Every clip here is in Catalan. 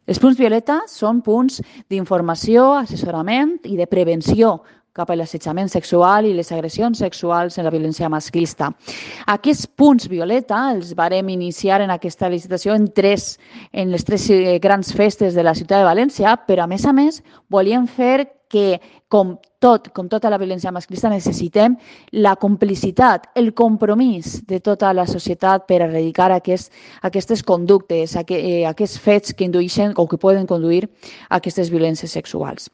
Els punts violeta són punts d'informació, assessorament i de prevenció cap a l'assetjament sexual i les agressions sexuals en la violència masclista. Aquests punts violeta els vàrem iniciar en aquesta licitació en les tres grans festes de la ciutat de València, però a més volíem fer que, com tota la violència masclista, necessitem la complicitat, el compromís de tota la societat per erradicar aquestes conductes, aquests fets que indueixen o que poden conduir a aquestes violències sexuals.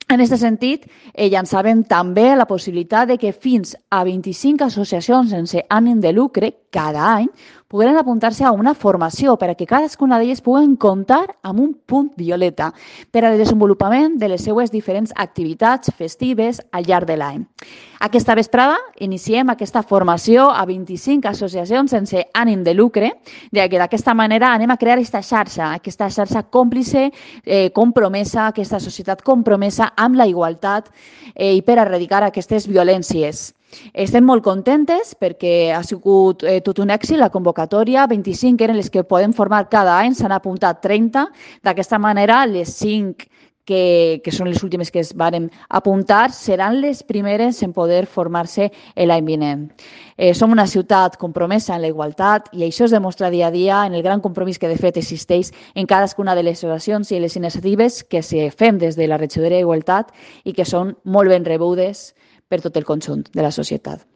En aquest sentit, llançàvem també la possibilitat de que fins a 25 associacions sense ànim de lucre cada any pogueren apuntar-se a una formació per a que cadascuna d'elles puguen comptar amb un punt violeta per al desenvolupament de les seues diferents activitats festives al llarg de l'any. Aquesta vesprada iniciem aquesta formació a 25 associacions sense ànim de lucre, d'aquesta manera anem a crear aquesta xarxa còmplice, compromesa, aquesta societat compromesa amb la igualtat i per erradicar aquestes violències. Estem molt contentes perquè ha sigut tot un èxit la convocatòria. 25 eren les que podem formar cada any, s'han apuntat 30. D'aquesta manera, les 5 que són les últimes que es varen apuntar, seran les primeres en poder formar-se l'any vinent. Som una ciutat compromesa en la igualtat i això es demostra dia a dia en el gran compromís que de fet existeix en cadascuna de les oracions i les iniciatives que fem des de la regidoria d'Igualtat i que són molt ben rebudes per tot el conjunt de la societat.